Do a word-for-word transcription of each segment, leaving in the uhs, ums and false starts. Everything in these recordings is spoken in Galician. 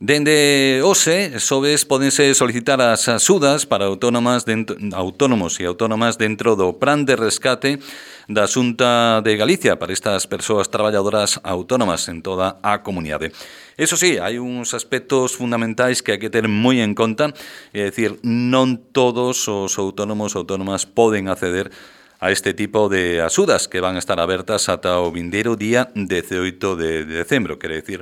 Dende hoxe, sobes, podense solicitar as axudas para autónomas dentro, autónomos e autónomas dentro do Plan de Rescate da Xunta de Galicia para estas persoas traballadoras autónomas en toda a comunidade. Eso sí, hai uns aspectos fundamentais que hai que ter moi en conta, é dicir, non todos os autónomos ou autónomas poden acceder a este tipo de axudas que van a estar abertas ata o vindeiro día dezaoito de decembro, quere dicir,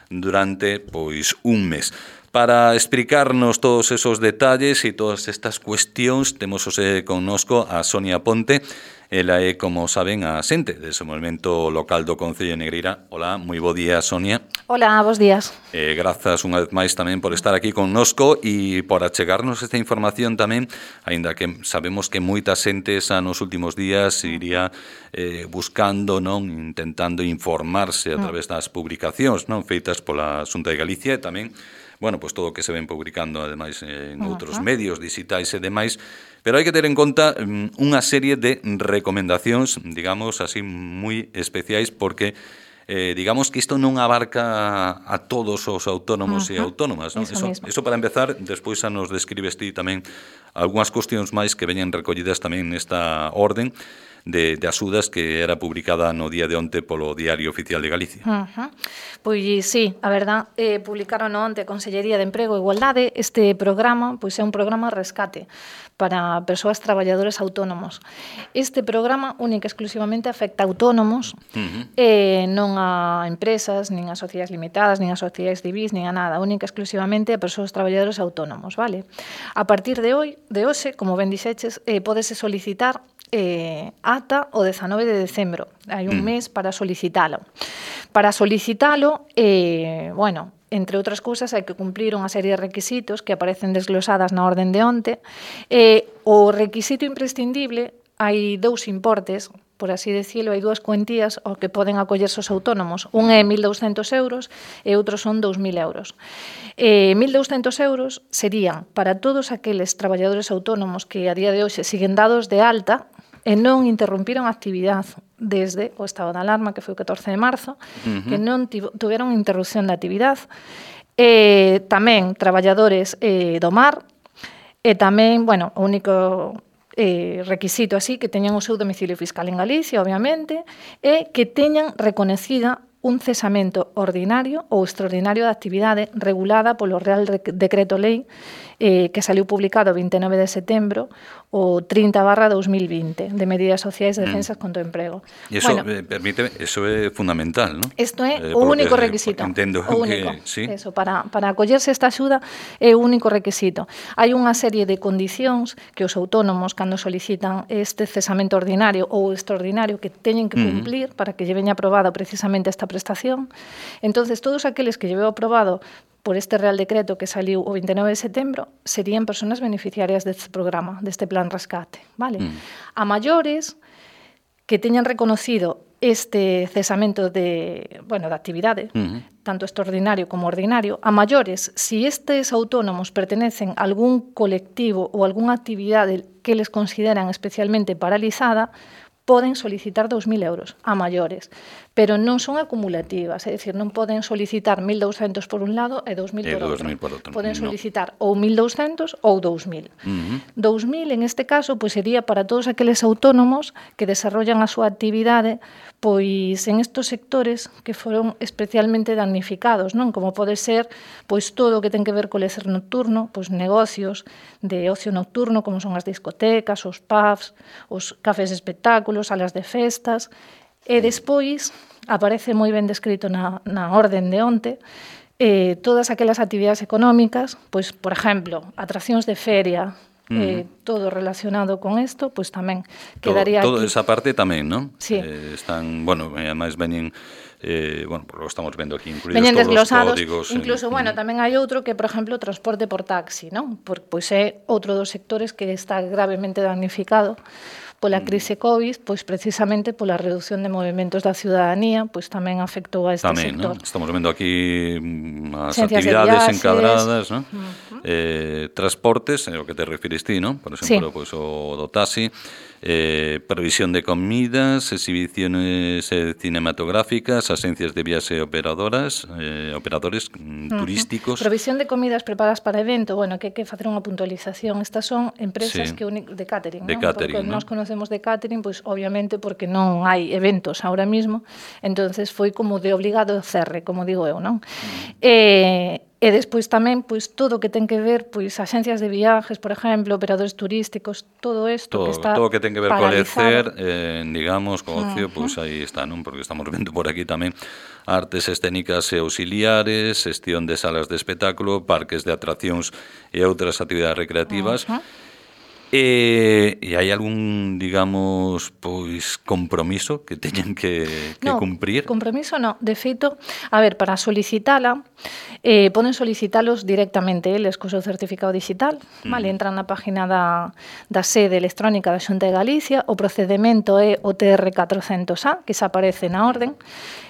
durante pois un mes. Para explicarnos todos esos detalles e todas estas cuestións, temos hoxe connosco a Sonia Ponte. Ela é, como saben, a xente do desenvolvemento local do Concello de Negreira. Hola, moi bo día, Sonia. Hola, bos días. Eh, grazas unha vez máis tamén por estar aquí connosco e por achegarnos esta información tamén, aínda que sabemos que moita xente xa nos últimos días iría eh, buscando, non, intentando informarse a través das publicacións, non, feitas pola Xunta de Galicia e tamén, bueno, pois todo o que se ven publicando ademais en outros medios digitais e demais, pero hai que ter en conta um, unha serie de recomendacións, digamos así, moi especiais, porque Eh, digamos que isto non abarca a todos os autónomos uh-huh. e autónomas, non? Eso, eso, eso para empezar, despois xa nos describes ti tamén algunhas cuestións máis que veñen recollidas tamén nesta orden de, de axudas que era publicada no día de onte polo Diario Oficial de Galicia. Uh-huh. Pois sí, a verdad, eh, publicaron onte a Consellería de Emprego e Igualdade este programa, pois é un programa rescate para persoas traballadoras autónomos. Este programa única e exclusivamente afecta a autónomos, uh-huh. eh, non a empresas, nin a sociedades limitadas, nin a sociedades civís, nin a nada, única e exclusivamente a persoas traballadoras autónomos, vale? A partir de hoy, de hoxe, como ben dixeches, eh, pódese solicitar eh, ata o dezanove de decembro. Hai un mes para solicitalo. Para solicitalo, eh, bueno, entre outras cousas, hai que cumplir unha serie de requisitos que aparecen desglosadas na orden de onte. Eh, o requisito imprescindible, hai dous importes, por así decirlo, hai dúas cuentías ao que poden acollerse os autónomos. Un é mil douscentos euros e outros son dous mil euros. Eh, mil douscentos euros serían para todos aqueles traballadores autónomos que a día de hoxe siguen dados de alta e non interrompiron a actividade desde o estado de alarma, que foi o catorce de marzo, uh-huh. que non tiveron interrupción de actividade. E tamén traballadores eh, do mar, e tamén, bueno, o único eh, requisito así, que teñan o seu domicilio fiscal en Galicia, obviamente, e que teñan reconocida un cesamento ordinario ou extraordinario de actividade regulada polo Real Decreto Lei eh, que saliu publicado o vinte e nove de setembro o trinta barra dos mil vinte de medidas sociais de defensas mm. contra o emprego. E iso, bueno, eh, permíteme, eso é fundamental, non? Isto é eh, o único que, requisito. Entendo o único, que, sí. Eso, para, para acollerse esta axuda é o único requisito. Hai unha serie de condicións que os autónomos, cando solicitan este cesamento ordinario ou extraordinario, que teñen que cumplir mm. para que lle veña aprobado precisamente esta prestación. Entonces, todos aqueles que lle veo aprobado por este Real Decreto que saliu o vinte e nove de setembro, serían persoas beneficiarias deste programa, deste plan rescate, vale? Mm. A maiores que teñan reconocido este cesamento de, bueno, de actividade, uh-huh. tanto extraordinario como ordinario, a maiores, si estes autónomos pertenecen a algún colectivo ou algunha actividade que les consideran especialmente paralizada, poden solicitar dous mil euros a maiores, pero non son acumulativas, é dicir, non poden solicitar mil douscentos por un lado e dous mil por outro. por outro. Poden solicitar no. ou mil douscentos ou dous mil. Uh-huh. dous mil, en este caso, pois sería para todos aqueles autónomos que desarrollan a súa actividade pois en estos sectores que foron especialmente damnificados, non? Como pode ser pois todo o que ten que ver co lecer nocturno, pois negocios de ocio nocturno, como son as discotecas, os pubs, os cafés de espectáculos, salas de festas, e despois aparece moi ben descrito na, na orden de onte eh, todas aquelas actividades económicas, pois, por exemplo, atraccións de feria, eh, uh-huh. todo relacionado con isto, pois tamén quedaría todo, aquí. Toda esa parte tamén, non? Sí. Eh, están, bueno, ademais veñen Eh, bueno, por lo que estamos vendo aquí incluídos veñen todos desglosados, os códigos. incluso, en, bueno, tamén hai outro que, por exemplo, transporte por taxi, non? Por, pois é outro dos sectores que está gravemente damnificado pola crise COVID, pois precisamente pola reducción de movimentos da ciudadanía, pois tamén afectou a este tamén, sector. ¿no? Estamos vendo aquí as Ciencias actividades viaxes, encadradas, ¿no? Uh-huh. eh, transportes, é o que te refires ti, non? Por exemplo, sí. Pois o do taxi, eh, provisión de comidas, exhibiciones eh, cinematográficas, agencias de viaxe operadoras, eh, operadores mm, uh-huh. turísticos. Provisión de comidas preparadas para evento, bueno, que hai que facer unha puntualización. Estas son empresas sí. que uni- de catering, de non? catering, porque ¿no? Nós conocemos de catering, pois pues, obviamente porque non hai eventos ahora mismo, entonces foi como de obligado cerre, como digo eu, non? Mm. Eh, E despois tamén, pois, todo o que ten que ver, pois, axencias de viajes, por exemplo, operadores turísticos, todo isto todo, que está todo o que ten que ver co lecer, eh, digamos, co ocio, uh-huh. pois aí está, non? Porque estamos vendo por aquí tamén artes escénicas e auxiliares, xestión de salas de espectáculo, parques de atraccións e outras actividades recreativas. Uh-huh. E, e hai algún, digamos, pois compromiso que teñen que, que no, cumprir? Compromiso no, de feito, a ver, para solicitala, eh, poden solicitalos directamente eles co seu certificado digital, mm. vale, entran na página da, da sede electrónica da Xunta de Galicia, o procedemento é o T R catrocentos A, que se aparece na orden.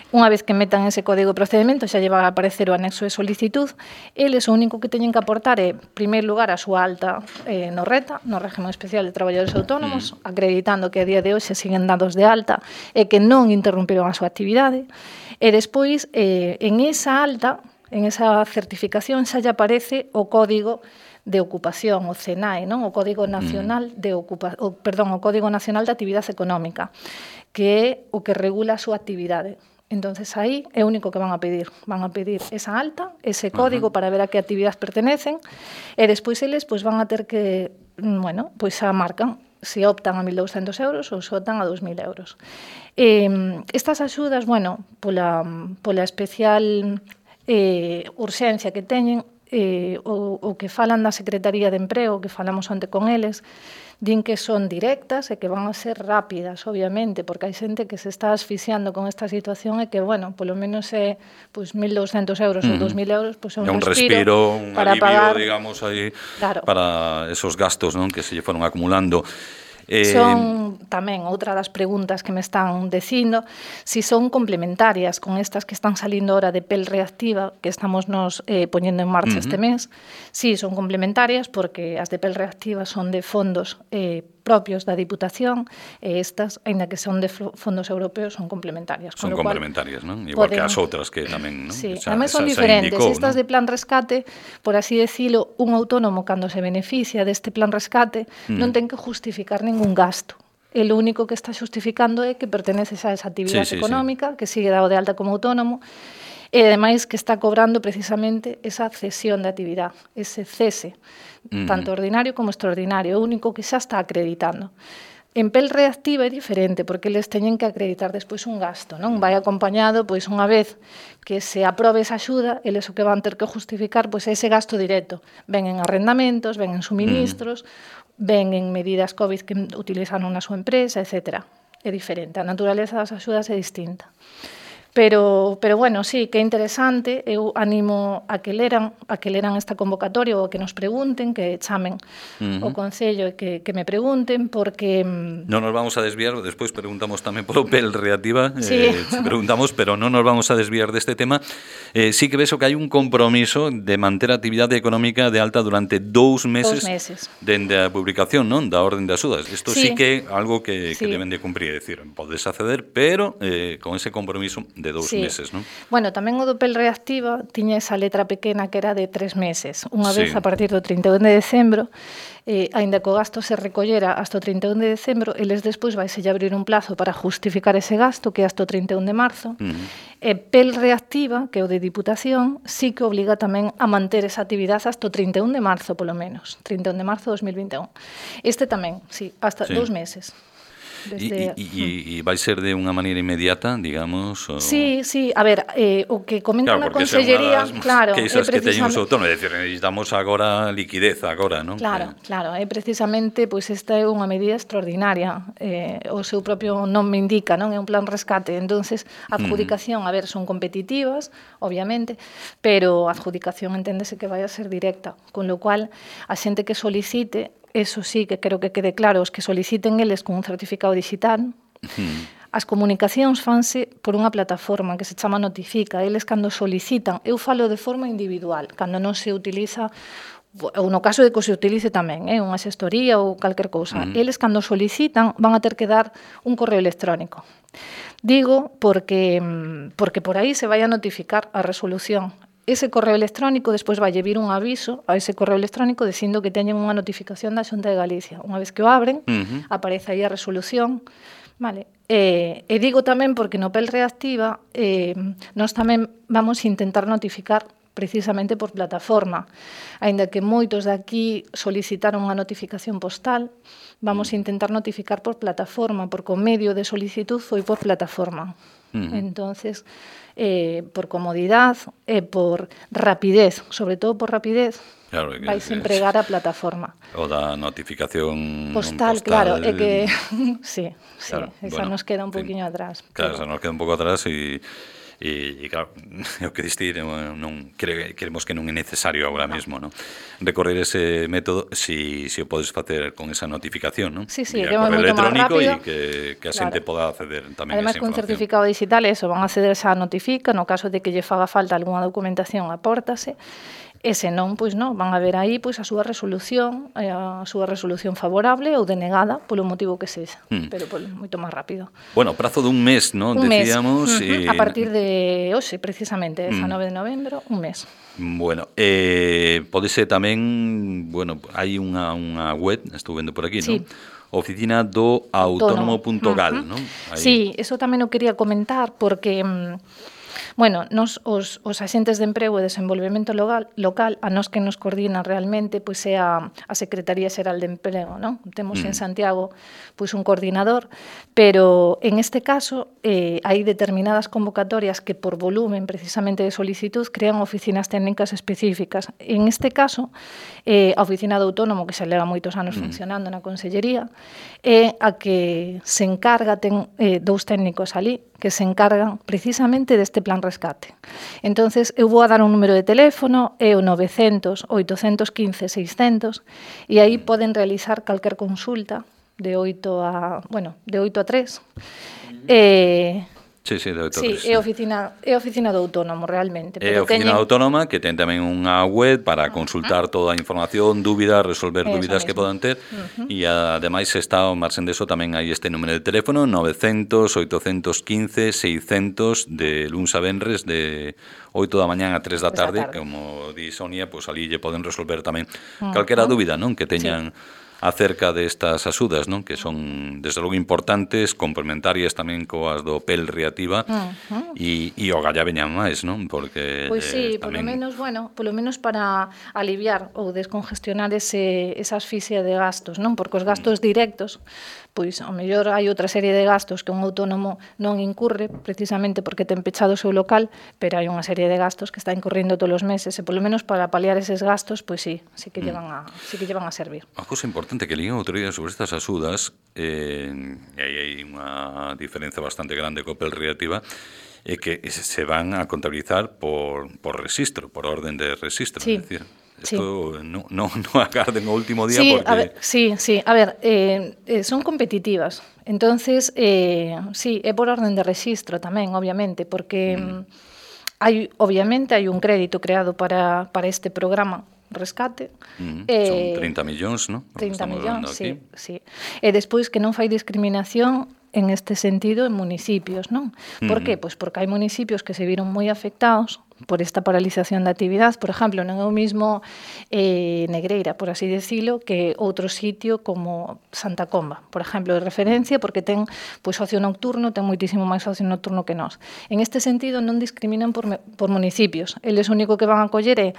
Unha vez que metan ese código de procedimento, xa lle va a aparecer o anexo de solicitud. Eles o único que teñen que aportar é, en primeiro lugar, a súa alta eh, no RETA, no Régimen Especial de Traballadores Autónomos, mm. acreditando que a día de hoxe siguen dados de alta e que non interromperon a súa actividade. E despois, eh, en esa alta, en esa certificación, xa lle aparece o código de ocupación, o C N A E, non? O Código Nacional de Ocupa... o, perdón, o Código Nacional de Actividade Económica, que é o que regula a súa actividade. Entonces aí é o único que van a pedir. Van a pedir esa alta, ese código uh-huh. para ver a que actividades pertenecen e despois eles pois, van a ter que, bueno, pois a marcan se optan a mil douscentos euros ou se optan a dos mil euros. Eh, estas axudas, bueno, pola, pola especial eh, urxencia que teñen, eh, o, o que falan da Secretaría de Emprego, que falamos onte con eles, din que son directas e que van a ser rápidas, obviamente, porque hai xente que se está asfixiando con esta situación e que, bueno, polo menos é pues, mil douscentos euros mm. ou dos mil euros, pues, é un, un respiro, respiro un para alivio, pagar, digamos, aí, claro. para esos gastos, non, que se lle foron acumulando. Eh, son tamén outra das preguntas que me están dicindo si son complementarias con estas que están salindo ahora de P E L reactiva que estamos nos eh, poñendo en marcha uh-huh. este mes. Si, son complementarias porque as de P E L reactiva son de fondos eh, propios da Diputación e estas, aínda que son de fondos europeos, son complementarias. Son complementarias, non? Igual poden... que as outras que tamén, non? Sí, esa, tamén son esa, diferentes. indicou, estas ¿no? de plan rescate, por así decirlo, un autónomo cando se beneficia deste plan rescate mm. non ten que justificar ningún gasto. E o único que está justificando é que perteneces a esa actividade sí, sí, sí. económica, que sigue dado de alta como autónomo, e ademais que está cobrando precisamente esa cesión de actividade, ese cese, mm. tanto ordinario como extraordinario, o único que xa está acreditando. En P E L reactiva é diferente, porque eles teñen que acreditar despois un gasto, non? Vai acompañado, pois, unha vez que se aprobe esa axuda, eles o que van ter que justificar, pois, é ese gasto directo. Ven en arrendamentos, ven en suministros, mm. ven en medidas COVID que utilizaron na súa empresa, etcétera. É diferente, a naturaleza das axudas é distinta. Pero, pero bueno, sí, que é interesante, eu animo a que leran, a que leran esta convocatoria ou a que nos pregunten, que chamen uh-huh. o Concello e que, que me pregunten, porque... Non nos vamos a desviar, despois preguntamos tamén polo P E L reactiva, sí. eh, preguntamos, pero non nos vamos a desviar deste tema. Eh, sí que ves que hai un compromiso de manter a actividade económica de alta durante dous meses, dous meses. dende a publicación, non, da orden de axudas. Isto sí, sí que é algo que, sí. que deben de cumprir, é dicir, podes acceder, pero eh, con ese compromiso de dous sí. meses, non? Bueno, tamén o do P E L reactiva tiña esa letra pequena que era de tres meses. Unha sí. vez a partir do trinta e un de decembro, eh, aínda que o gasto se recollera hasta o trinta e un de decembro, eles despois vai se abrir un plazo para justificar ese gasto, que é hasta o trinta e un de marzo. Uh-huh. E P E L reactiva, que é o de Diputación, sí que obliga tamén a manter esa actividade hasta o trinta e un de marzo, polo menos. trinta e un de marzo de dos mil vinte e un. Este tamén, sí, hasta sí. dous meses. Desde... E, e, e vai ser de unha maneira inmediata, digamos? O... Sí, sí, a ver, eh, o que comentan claro, na Consellería, claro, é precisamente... que teñen os autónomos, é dicir, necesitamos agora liquidez agora, non? Claro, claro, é precisamente, pois esta é unha medida extraordinaria, eh, o seu propio nome indica, non? É un plan rescate, entonces a adjudicación, a ver, son competitivas, obviamente, pero a adjudicación enténdese que vai a ser directa, con lo cual a xente que solicite, eso sí que creo que quede claro, os que soliciten eles con un certificado digital, mm. as comunicacións fanse por unha plataforma que se chama Notifica. Eles cando solicitan, eu falo de forma individual, cando non se utiliza ou no caso de que se utilice tamén, eh, unha xestoría ou calquer cousa, uh -huh. eles cando solicitan van a ter que dar un correo electrónico. Digo porque, porque por aí se vai a notificar a resolución. Ese correo electrónico despois vai vir un aviso a ese correo electrónico dicindo que teñen unha notificación da Xunta de Galicia. Unha vez que o abren, uh -huh. aparece aí a resolución. Vale. Eh, e digo tamén porque no P E L Reactiva eh, nós tamén vamos a intentar notificar precisamente por plataforma. Aínda que moitos de aquí solicitaron unha notificación postal, vamos a intentar notificar por plataforma, porque o medio de solicitud foi por plataforma. Uh-huh. Entonces, eh, por comodidad e eh, por rapidez, sobre todo por rapidez, claro, que vais a empregar a plataforma. O da notificación postal, postal claro, é que sí, sí, claro, esa bueno, nos queda un poquinho atrás. Claro, pero... esa nos queda un pouco atrás e E, e claro, o que diste non, queremos que non é necesario agora no. mesmo, non? Recorrer ese método si, si o podes facer con esa notificación, non? Sí, sí, que é moito máis rápido e que, que a xente poda acceder tamén además, a esa información. Además, con certificado digital, eso, van a acceder esa notifica, no caso de que lle faga falta algunha documentación, apórtase. E se non, pois non, van a ver aí pois a súa resolución, a súa resolución favorable ou denegada polo motivo que sexa, mm. pero por, moito máis rápido. Bueno, prazo dun mes, non? Un Decíamos, mes, uh -huh. e... a partir de hoxe, precisamente, dezanove de novembro, un mes. Bueno, eh, podese tamén, bueno, hai unha, unha web, estou vendo por aquí, sí. non? Oficina do autónomo punto gal, uh -huh. non? Aí... Sí, eso tamén o quería comentar porque... Bueno, nos os, os axentes de emprego e desenvolvemento local, local a nos que nos coordinan realmente pois é a, a Secretaría Xeral de Emprego, non? Temos mm. en Santiago pois un coordinador, pero en este caso eh, hai determinadas convocatorias que por volumen precisamente de solicitud crean oficinas técnicas específicas. En este caso, eh, a Oficina do Autónomo, que xa leva moitos anos mm. funcionando na Consellería, é a que se encarga, ten eh, dous técnicos ali, que se encargan precisamente deste plan rescate. Entonces, eu vou a dar un número de teléfono, é o novecientos, oitocentos quince, seiscentos, e aí poden realizar calquer consulta de oito a, bueno, de oito a tres. Eh, Sí, sí, de oito a tres. Sí, é a oficina, é a oficina do autónomo, realmente. É a oficina teñen... autónoma que ten tamén unha web para consultar toda a información, dúbidas, resolver eso dúbidas mesmo que podan ter. Uh -huh. E ademais está, ao marxen deso, tamén hai este número de teléfono, novecientos, oitocentos quince, seiscentos, de luns a venres, de oito da mañán a tres da tarde, tarde. Como di Sonia, pois pues, ali lle poden resolver tamén uh -huh. calquera dúbida, non? Que teñan... Sí. acerca destas axudas, non? Que son, desde logo, importantes, complementarias tamén coas do P E L Reactiva uh-huh. e, e o galla veñan máis, non? Porque pois sí, eh, tamén... polo menos, bueno, polo menos para aliviar ou descongestionar ese, esa asfixia de gastos, non? Porque os gastos directos, pois, ao mellor hai outra serie de gastos que un autónomo non incurre, precisamente porque ten pechado o seu local, pero hai unha serie de gastos que está incurrindo todos os meses, e polo menos para paliar eses gastos, pois sí, sí que llevan a, sí que llevan a servir. A cousa importante que lían outro día sobre estas axudas, eh, e aí hai unha diferencia bastante grande co P E L Reactiva, é que se van a contabilizar por, por registro, por orden de registro, sí. é dicir, esto sí. no, no, no agarden o último día sí, porque... A ver, sí, sí, a ver, eh, eh, son competitivas, entonces, eh, sí, é por orden de registro tamén, obviamente, porque mm. hai, obviamente, hai un crédito creado para, para este programa rescate. Mm, eh, son trinta millóns, non? trinta millóns, sí, sí. E despois que non fai discriminación en este sentido en municipios, non? Por mm. que? Pois porque hai municipios que se viron moi afectados por esta paralización da actividade. Por exemplo, non é o mismo eh, Negreira, por así decirlo, que outro sitio como Santa Comba, por exemplo, de referencia, porque ten pois, ocio nocturno, ten moitísimo máis ocio nocturno que nós. En este sentido, non discriminan por, por municipios. Eles o único que van a coller é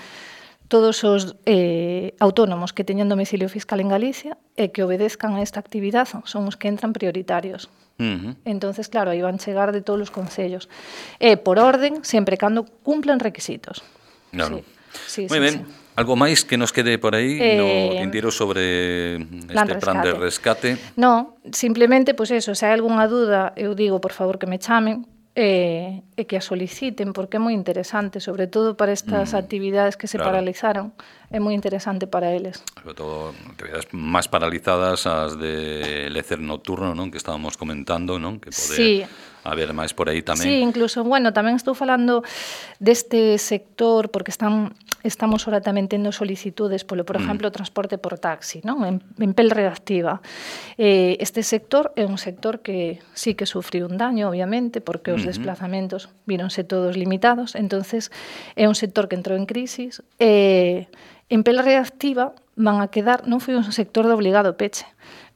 todos os eh, autónomos que teñen domicilio fiscal en Galicia e que obedezcan a esta actividade son os que entran prioritarios. Uh-huh. Entonces, claro, aí van chegar de todos os concellos. E por orden, sempre cando cumplan requisitos. Claro. Sí, sí, Moi sí, ben. Sí. Algo máis que nos quede por aí eh, no tintero sobre este plan, plan de rescate? No, simplemente, pois pues eso, se hai algunha dúda, eu digo, por favor, que me chamen, E, e que a soliciten, porque é moi interesante, sobre todo para estas mm, actividades que se claro. paralizaron, é moi interesante para eles. Sobre todo, actividades máis paralizadas, as de lecer nocturno, non? Que estábamos comentando, non? Que pode sí. haber máis por aí tamén. Sí, incluso, bueno, tamén estou falando deste sector, porque están... Estamos ahora tamén tendo solicitudes polo, por exemplo, o transporte por taxi, non? En, en pel reactiva. Eh, este sector é un sector que sí que sufriu un daño, obviamente, porque os uh-huh. desplazamentos víronse todos limitados, entonces é un sector que entrou en crisis. Eh, en pel reactiva van a quedar, non foi un sector de obligado peche,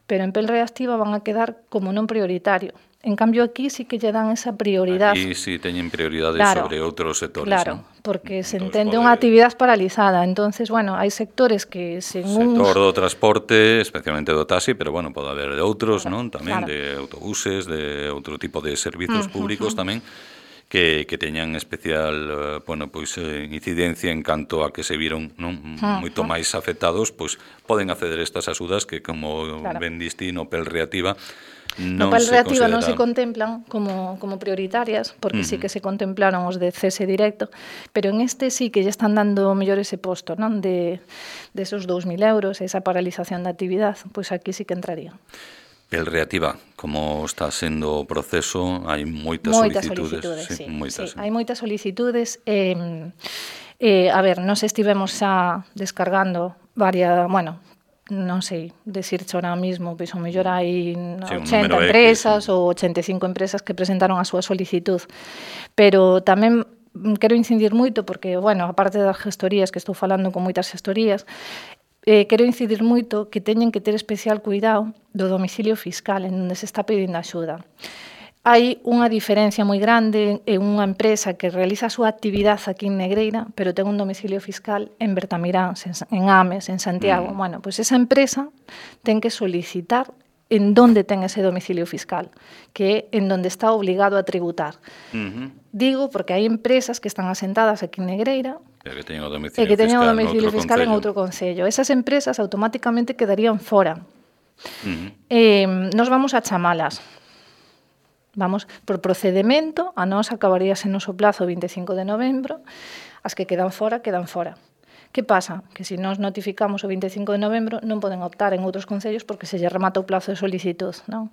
pero en pel reactiva van a quedar como non prioritario. En cambio, aquí sí que lle dan esa prioridade. Aquí sí teñen prioridade claro, sobre outros sectores, claro, ¿no? Porque se entonces, entende unha actividade paralizada. Entonces, bueno, hai sectores que sen un... Sector do transporte, especialmente do taxi, pero, bueno, pode haber de outros, claro, non? Tamén claro. de autobuses, de outro tipo de servizos uh-huh, públicos uh-huh. tamén, que, que teñan especial, uh, bueno, pois, eh, incidencia en canto a que se viron, non? Uh-huh. Moito máis afectados, pois, poden acceder a estas axudas que, como claro. ben diste no Pel Reactiva, No Pel Reactiva non se contemplan como, como prioritarias, porque uh-huh. sí que se contemplaron os de cese directo, pero en este sí que ya están dando mellor ese posto, non? De, de esos dous mil euros, esa paralización da actividade, pois pues aquí sí que entraría. Pel Reactiva, como está sendo o proceso, hai moitas, moitas solicitudes. solicitudes sí, sí, moitas, sí. Hai moitas solicitudes. Eh, eh, a ver, nos estivemos xa descargando varias, bueno, non sei, decirche ahora mismo, pois o mellor hai sí, ochenta empresas X, ou ochenta e cinco empresas que presentaron a súa solicitud. Pero tamén quero incidir moito, porque, bueno, aparte das gestorías, que estou falando con moitas gestorías, eh, quero incidir moito que teñen que ter especial cuidado do domicilio fiscal en onde se está pedindo axuda. Hai unha diferencia moi grande en unha empresa que realiza a súa actividade aquí en Negreira, pero ten un domicilio fiscal en Bertamirán, en Ames, en Santiago. Mm. Bueno, pois pues esa empresa ten que solicitar en donde ten ese domicilio fiscal, que é en donde está obligado a tributar. Uh-huh. Digo porque hai empresas que están asentadas aquí en Negreira e que teñen o domicilio, e que teñen fiscal, o domicilio fiscal en outro concello. Esas empresas automáticamente quedarían fora. Uh-huh. Eh, nos vamos a chamalas. Vamos, por procedimento, a nós acabaríase no noso plazo vinte e cinco de novembro, as que quedan fora, quedan fora. Que pasa? Que se nós notificamos o vinte e cinco de novembro non poden optar en outros concellos porque se lle remata o plazo de solicitud, non?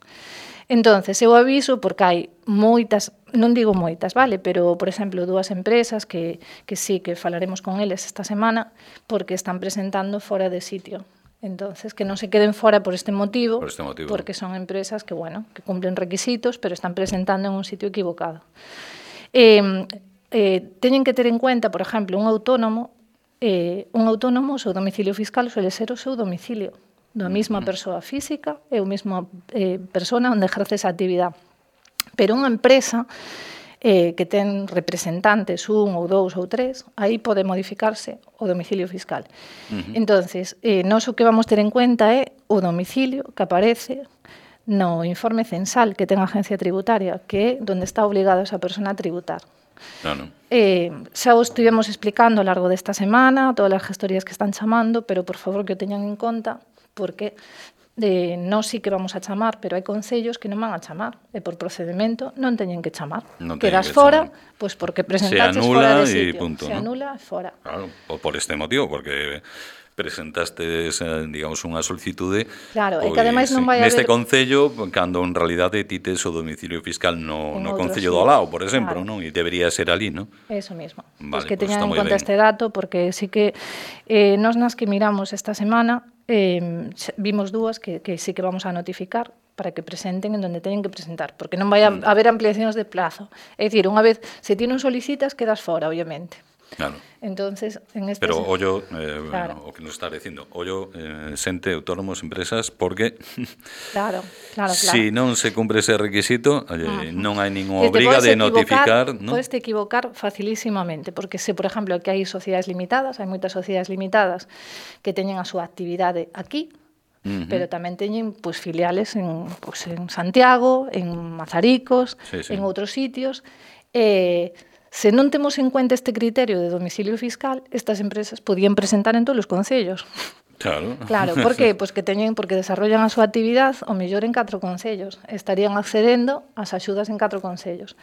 Entonces, eu aviso porque hai moitas, non digo moitas, vale, pero, por exemplo, dúas empresas que, que sí, que falaremos con eles esta semana porque están presentando fora de sitio. Entonces, que non se queden fora por este motivo, por este motivo, porque son empresas que, bueno, que cumplen requisitos, pero están presentando en un sitio equivocado. Eh, eh, teñen que ter en cuenta, por exemplo, un autónomo, eh, un autónomo, o seu domicilio fiscal suele ser o seu domicilio, da mesma persoa física e o mesma eh, persona onde ejerce esa actividade. Pero unha empresa eh, que ten representantes, un ou dous ou tres, aí pode modificarse o domicilio fiscal. Uh-huh. Entonces, eh, nós o que vamos ter en cuenta é o domicilio que aparece no informe censal que ten a agencia tributaria, que é onde está obligada esa persona a tributar. No, no. Eh, xa o estivemos explicando ao largo desta semana, todas as gestorías que están chamando, pero por favor que o teñan en conta, porque de nós sí que vamos a chamar, pero hai concellos que non van a chamar, e por procedimento non teñen que chamar. Non Quedas que fora, chamar. Pois porque presentaches fora de sitio. Punto, se ¿no? anula, fora. Claro, por este motivo, porque presentaste, digamos, unha solicitude, claro, pois, e que ademais non vai neste haber... concello, cando en realidade ti tes o domicilio fiscal no, no concello do Alao, por exemplo, claro. Non? E debería ser ali, non? Eso mismo. Vale, pues que pues teñan en conta ben. este dato, porque sí que eh, nos nas que miramos esta semana eh, vimos dúas que, que sí que vamos a notificar para que presenten en donde teñen que presentar, porque non vai a mm. haber ampliacións de plazo. É dicir, unha vez, se ti non solicitas, quedas fora, obviamente. Claro. Entonces, en este Pero ollo, eh, claro. bueno, o que nos está dicindo, ollo, eh, xente, autónomos, empresas, porque claro, claro, claro. Si non se cumpre ese requisito, oye, uh-huh. non hai ninguna obriga de notificar, ¿no? Podes te equivocar facilísimamente, porque se, por exemplo, que hai sociedades limitadas, hai moitas sociedades limitadas que teñen a súa actividade aquí, uh-huh. pero tamén teñen pues, filiales en, pues, en Santiago, en Mazaricos, sí, sí. en outros sitios, e eh, se non temos en cuenta este criterio de domicilio fiscal, estas empresas podían presentar en todos os concellos. Claro. Claro, por que? Pois que teñen, porque desarrollan a súa actividade o mellor en catro concellos. Estarían accedendo ás axudas en catro concellos.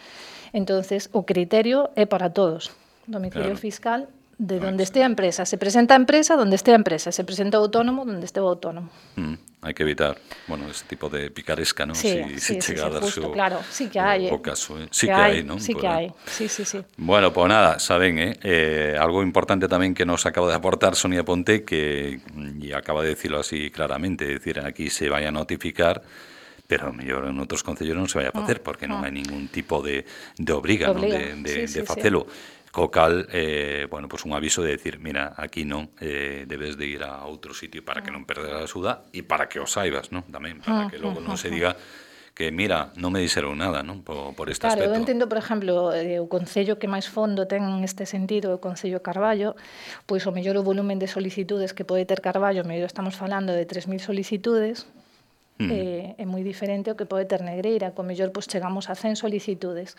Entonces, o criterio é para todos. Domicilio Claro. fiscal de donde esté a empresa. Se presenta a empresa donde esté a empresa. Se presenta o autónomo donde esté o autónomo. Mm, hai que evitar, bueno, ese tipo de picaresca, ¿no? Sí, si, sí, si sí, chega sí, a darse justo, o, claro. Sí que hai, o, eh. o caso, eh? Sí que que hai, hai, ¿no? Sí Por que aí. hai. Sí, sí, sí. Bueno, pues nada, saben, eh? eh, algo importante tamén que nos acaba de aportar Sonia Ponte, que, y acaba de decirlo así claramente, es decir, aquí se vaya a notificar, pero mellor en outros concellos non se vai a facer, porque non hai ningún tipo de, de obriga, non? Obriga, de, de, sí, sí, de facelo. Co cal, eh, bueno, pues un aviso de decir, mira, aquí non, eh, debes de ir a outro sitio para que non perdas a axuda e para que o saibas, non? Tamén, para que logo non se diga que, mira, non me dixeron nada, non? Por, por este Claro, aspecto. eu entendo, por exemplo, eh, o concello que máis fondo ten neste sentido, o Concello Carballo, pois o mellor o volumen de solicitudes que pode ter Carballo, mellor estamos falando de tres mil solicitudes, Mm. eh, é moi diferente ao que pode ter Negreira, co mellor pois chegamos a cen solicitudes.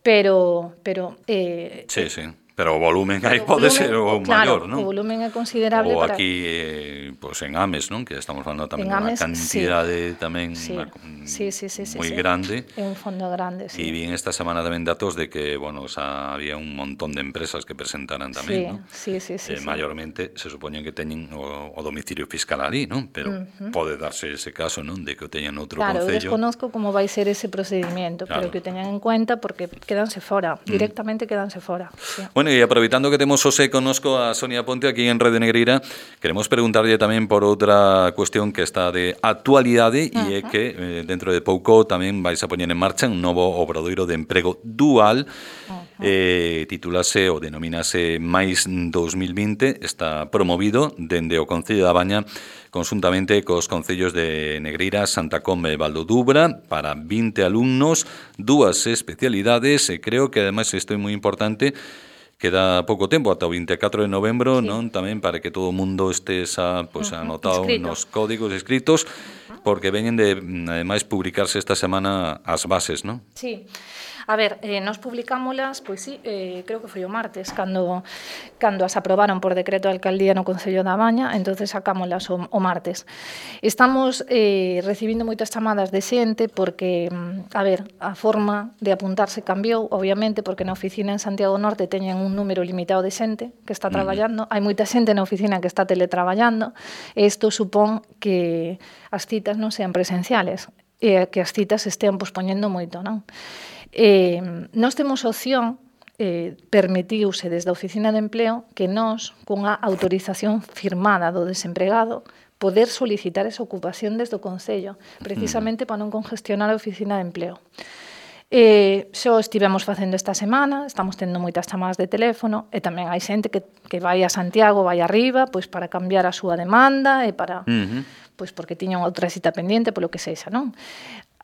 Pero, pero eh, Sí, sí. Pero o volumen aí o pode volumen, ser o claro, maior, non? o volumen é considerable Ou para... aquí, eh, pues en Ames, non? Que estamos falando tamén En dunha Ames, cantidade tamén sí, unha, sí, sí, sí, sí, moi sí. grande. É un fondo grande, sí. E vi esta semana tamén datos de que, bueno, o sea, había un montón de empresas que presentaran tamén, Sí, non? sí, sí, sí, eh, sí. Maiormente se supoñen que teñen o, o domicilio fiscal ali, non? Pero Ujú. pode darse ese caso, non? De que o teñan outro Claro, eu concello. desconozco como vai ser ese procedimento, Claro. pero que o teñan en cuenta porque quedanse fora, directamente quedanse fora. Sí. Bueno, e aproveitando que temos José connosco a Sonia Ponte aquí en Radio Negreira, queremos preguntarlle tamén por outra cuestión que está de actualidade e é que eh, dentro de pouco tamén vais a poñer en marcha un novo obradoiro de emprego dual, eh, titulase ou denomínase Mais dos mil vinte, está promovido dende o Concello da Baña conjuntamente cos concellos de Negreira, Santa Comba e Valdodubra para vinte alumnos, dúas especialidades e creo que ademais isto é moi importante. Queda pouco tempo, ata o vinte e catro de novembro, Sí. non? Tamén para que todo o mundo este esa, pues, Ujú, anotado inscrito. nos códigos escritos, porque veñen de, ademais, publicarse esta semana as bases, non? Sí. A ver, eh, nos publicámolas, pois sí, eh, creo que foi o martes, cando, cando as aprobaron por decreto de alcaldía no Concello da Baña, entonces sacámolas o, o martes. Estamos eh, recibindo moitas chamadas de xente porque, a ver, a forma de apuntarse cambiou, obviamente, porque na oficina en Santiago Norte teñen un número limitado de xente que está traballando, hai moita xente na oficina que está teletraballando, e isto supón que as citas non sean presenciales, e que as citas estean pospoñendo moito, non? Eh, nós temos opción, eh, permitiuse desde a Oficina de Empleo que nós, cunha autorización firmada do desempregado, poder solicitar esa ocupación desde o Concello, precisamente para non congestionar a Oficina de Empleo. Eh, xo estivemos facendo esta semana, estamos tendo moitas chamadas de teléfono e tamén hai xente que, que vai a Santiago, vai arriba, pois para cambiar a súa demanda e para, Uh-huh. pois porque tiñan outra cita pendiente, polo que sexa, non?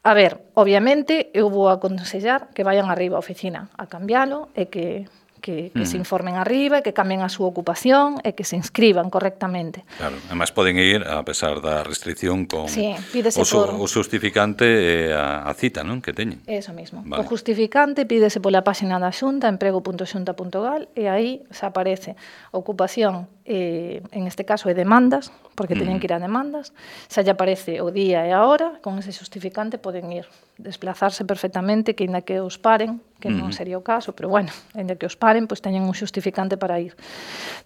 A ver, obviamente, eu vou aconsellar que vayan arriba á oficina a cambialo e que, que, que se informen arriba e que cambien a súa ocupación e que se inscriban correctamente. Claro, además poden ir, a pesar da restricción, con Sí, pídese o, su, por- o justificante e a, a cita, non? Que teñen. Eso mismo. Vale. O justificante pídese pola páxina da Xunta, emprego punto xunta punto gal, e aí se aparece ocupación, eh, en este caso é demandas, porque teñen que ir a demandas, se lle aparece o día e a hora, con ese justificante poden ir, desplazarse perfectamente, que ainda que os paren, que non sería o caso, pero bueno, ainda que os paren, pois teñen un justificante para ir.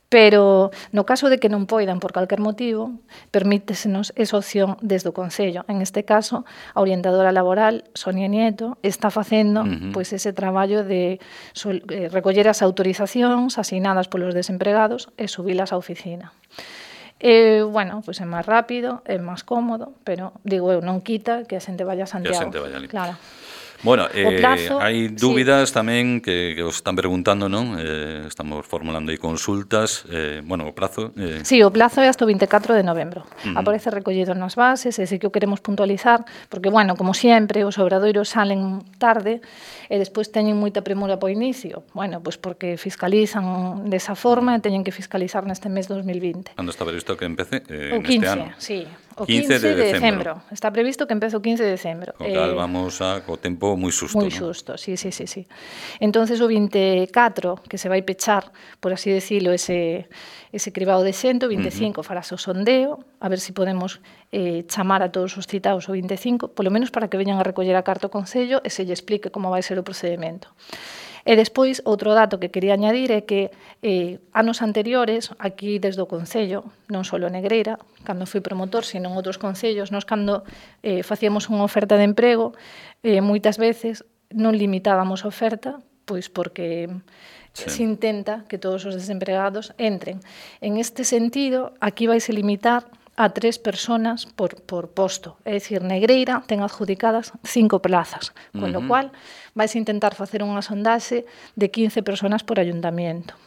Pero no caso de que non poidan por calquer motivo, permítesenos esa opción desde o Concello. En este caso, a orientadora laboral, Sonia Nieto, está facendo Ujú. pois ese traballo de sol, eh, recoller as autorizacións asignadas polos desempregados e subilas á oficina. E, bueno, pois é máis rápido, é máis cómodo, pero, digo eu, non quita que a xente vaya a Santiago. xente vaya ali. Claro. Bueno, eh, plazo, hai sí. dúbidas tamén que, que os están preguntando, non? Eh, estamos formulando aí consultas. Eh, bueno, o prazo... Eh, Sí, o plazo é hasta o vinte e catro de novembro. Uh-huh. Aparece recollido nas bases, e sí que o queremos puntualizar, porque, bueno, como sempre, os obradoiros salen tarde e despois teñen moita premura po inicio. Bueno, pois porque fiscalizan desa forma e teñen que fiscalizar neste mes dos mil vinte. cando está previsto que empece? Eh, O neste quince, ano. sí. O quince quince de de decembro. decembro. Está previsto que empece o quince de decembro. Co cal vamos a, co tempo tempo moi xusto, moi non? xusto, sí, sí, sí, sí. Entonces o vinte e catro, que se vai pechar, por así decirlo, ese, ese cribado de xente, o vinte e cinco uh -huh. farase o sondeo, a ver se si podemos eh, chamar a todos os citados o vinte e cinco, polo menos para que veñan a recoller a carta ao Concello e se lle explique como vai ser o procedimento. E despois, outro dato que quería añadir é que eh, anos anteriores, aquí desde o Concello, non só Negreira, cando fui promotor, sino en outros concellos, nós cando eh, facíamos unha oferta de emprego, eh, moitas veces non limitábamos a oferta, pois porque sí. se intenta que todos os desempregados entren. En este sentido, aquí vaise limitar a tres personas por, por posto. É dicir, Negreira ten adjudicadas cinco plazas, con uh -huh. lo cual vais a intentar facer unha sondaxe de quince personas por ayuntamiento.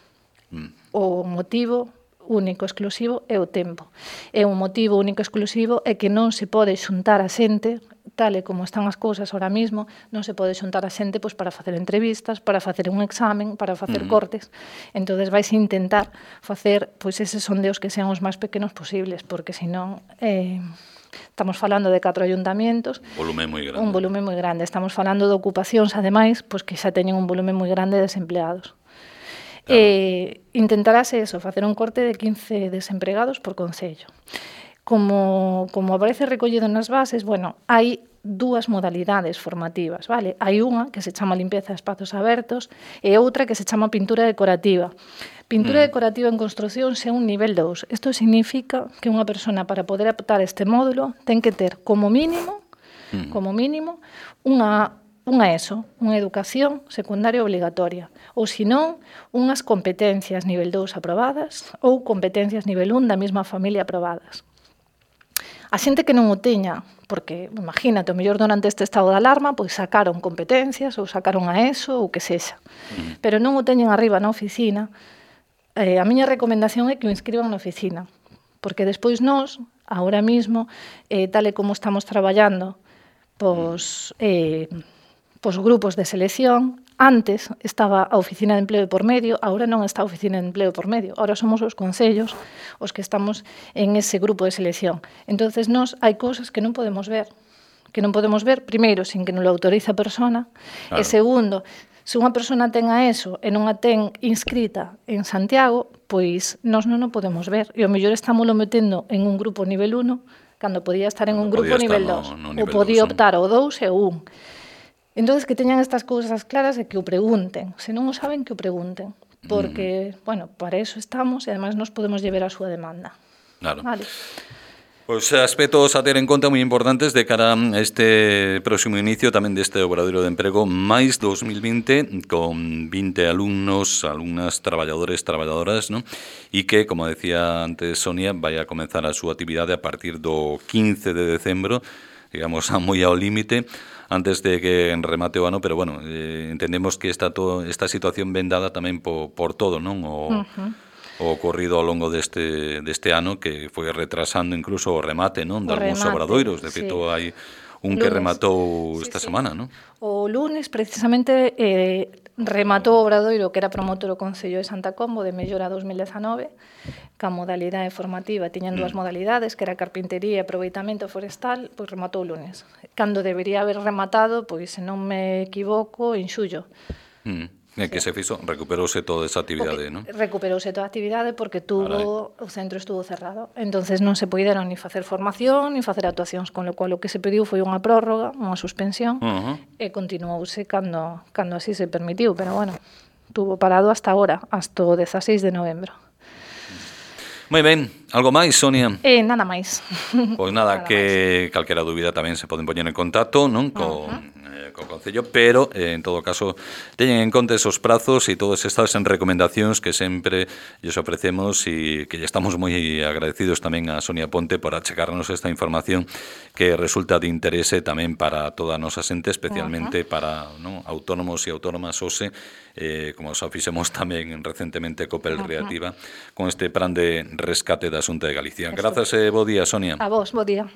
Uh -huh. O motivo único exclusivo é o tempo. E o motivo único exclusivo é que non se pode xuntar a xente, tal e como están as cousas ahora mismo, non se pode xuntar a xente pois, para facer entrevistas, para facer un examen, para facer uh -huh. cortes. Entonces vais a intentar facer pois, eses sondeos que sean os máis pequenos posibles, porque senón eh, estamos falando de catro ayuntamientos, volumen moi grande. un volumen moi grande. Estamos falando de ocupacións, ademais, pois, que xa teñen un volumen moi grande de desempleados. Claro. Eh, intentarase eso, facer un corte de quince desempregados por concello. Como, como aparece recollido nas bases, bueno, hai dúas modalidades formativas, vale? Hai unha que se chama limpieza de espazos abertos e outra que se chama pintura decorativa. Pintura mm. decorativa en construción é un nivel dous. Isto significa que unha persona para poder optar este módulo ten que ter como mínimo, mm. como mínimo, unha unha ESO, unha educación secundaria obligatoria, ou senón, unhas competencias nivel dous aprobadas ou competencias nivel un da mesma familia aprobadas. A xente que non o teña, porque, imagínate, o mellor durante este estado de alarma, pois sacaron competencias ou sacaron a ESO ou que sexa, mm. pero non o teñen arriba na oficina, eh, a miña recomendación é que o inscriban na oficina, porque despois nós, agora mismo, eh, tal e como estamos traballando, pois... Eh, Pos grupos de selección, antes estaba a Oficina de Empleo de por medio, agora non está a Oficina de Empleo por medio, agora somos os concellos os que estamos en ese grupo de selección. Entonces, nós hai cousas que non podemos ver, que non podemos ver, primeiro, sin que nos lo autorice a persona, claro. E segundo, se unha persona ten a ESO e non a ten inscrita en Santiago, pois nós non o podemos ver, e o mellor estámoslo metendo en un grupo nivel uno, cando podía estar en un grupo nivel dos, ou podía optar ao dous e ao un. Entón, que teñan estas cousas claras e que o pregunten. Se non o saben, que o pregunten. Porque, mm. bueno, para eso estamos e además nos podemos llevar a súa demanda. Claro. Vale. Pois pues, aspectos a ter en conta moi importantes de cara a este próximo inicio tamén deste obradoiro de emprego máis dos mil vinte con vinte alumnos, alumnas, traballadores, traballadoras, ¿no? E que, como decía antes Sonia, vai a comenzar a súa actividade a partir do quince de decembro, digamos, a moi ao límite, antes de que remate o ano, pero bueno, eh, entendemos que esta, to, esta situación ven dada tamén por, por todo, non? O, uh-huh. o ocorrido ao longo deste, deste ano, que foi retrasando incluso o remate, non? De algúns obradoiros, de feito sí. hai un lunes. Que rematou sí, esta sí. semana, non? O lunes, precisamente, eh, rematou o obradoiro que era promotor o Concello de Santa Combo de Mellora dos mil dezanove, ca modalidade formativa tiñan dúas mm. modalidades, que era carpintería e aproveitamento forestal, pois rematou o lunes. Cando debería haber rematado, pois se non me equivoco, en xullo. Mm. Sí. Que se fixo, recuperouse toda esa actividade, non? Recuperouse toda a actividade porque tuvo, o centro estuvo cerrado. Entonces non se puideron ni facer formación, ni facer actuacións, con lo cual o que se pediu foi unha prórroga, unha suspensión, uh -huh. e continuouse cando, cando así se permitiu, pero bueno, tuvo parado hasta agora, hasta o dezaseis de novembro. Moi ben, algo máis, Sonia? Eh, nada máis. Pois nada, nada que máis. Calquera dúbida tamén se poden poñer en contacto, non? Con... Uh -huh. co Concello, pero eh, en todo caso teñen en conta esos prazos e todas estas recomendacións que sempre lles ofrecemos e que lle estamos moi agradecidos tamén a Sonia Ponte por achegarnos esta información que resulta de interese tamén para toda a nosa xente, especialmente uh -huh. para non, autónomos e autónomas O S E, eh, como xa fixemos tamén recentemente Copel uh -huh. Reactiva, con este plan de rescate da Xunta de Galicia. Grazas e bo día, Sonia. A vos, bo día.